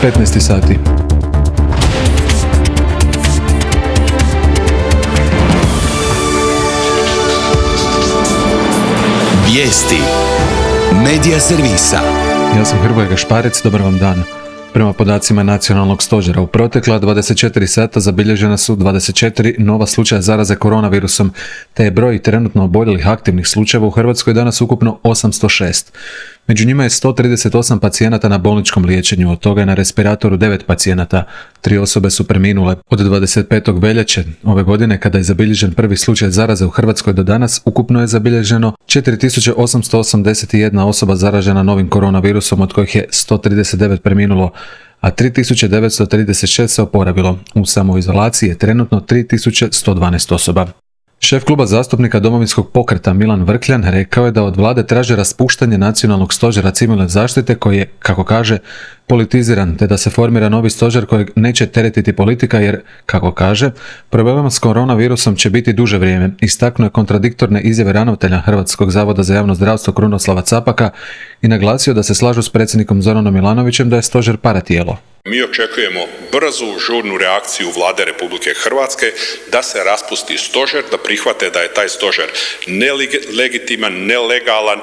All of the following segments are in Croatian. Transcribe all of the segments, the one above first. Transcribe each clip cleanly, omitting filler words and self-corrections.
15 sati. Vijesti Medija servisa. Ja sam Hrvoje Gašparec, dobar vam dan. Prema podacima Nacionalnog stožera, u protekla 24 sata zabilježena su 24 nova slučaja zaraze koronavirusom, te je broj trenutno oboljelih aktivnih slučajeva u Hrvatskoj danas ukupno 806. Među njima je 138 pacijenata na bolničkom liječenju, od toga je na respiratoru 9 pacijenata. 3 osobe su preminule. Od 25. veljače ove godine, kada je zabilježen prvi slučaj zaraze u Hrvatskoj do danas, ukupno je zabilježeno 4881 osoba zaražena novim koronavirusom, od kojih je 139 preminulo, a 3936 se oporavilo. U samoizolaciji je trenutno 3112 osoba. Šef kluba zastupnika Domovinskog pokreta Milan Vrkljan rekao je da od vlade traže raspuštanje Nacionalnog stožera civilne zaštite koji je, kako kaže, politiziran, te da se formira novi stožer kojeg neće teretiti politika jer, kako kaže, problema s koronavirusom će biti duže vrijeme. Istaknuo je kontradiktorne izjave ravnatelja Hrvatskog zavoda za javno zdravstvo Krunoslava Capaka i naglasio da se slažu s predsjednikom Zoranom Milanovićem da je stožer paratijelo. Mi očekujemo brzu, žurnu reakciju Vlade Republike Hrvatske da se raspusti stožer, da prihvate da je taj stožer nelegitiman, nelegalan,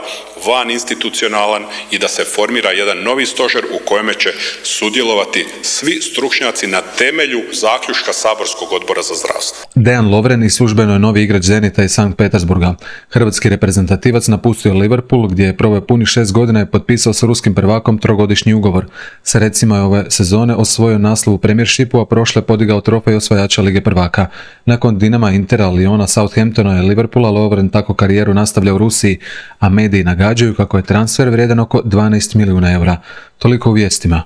van institucionalan i da se formira jedan novi stožer u kojem će sudjelovati svi stručnjaci na temelju zaključka Saborskog odbora za zdravstvo. Dejan Lovren i službeno je novi igrač Zenita iz Sankt Petersburga. Hrvatski reprezentativac napustio Liverpool gdje je proveo punih 6 godina i potpisao s ruskim prvakom 3-godišnji ugovor. Sa recima je ove sezone osvojio naslov u Premiershipu, a prošle podigao trofej osvajača Lige prvaka. Nakon Dinama, Intera, Liona, Southamptona i Liverpoola, Lovren tako karijeru nastavlja u Rusiji, a mediji nagađaju kako je transfer vrijedan oko 12 milijuna eura. Toliko u vijestima.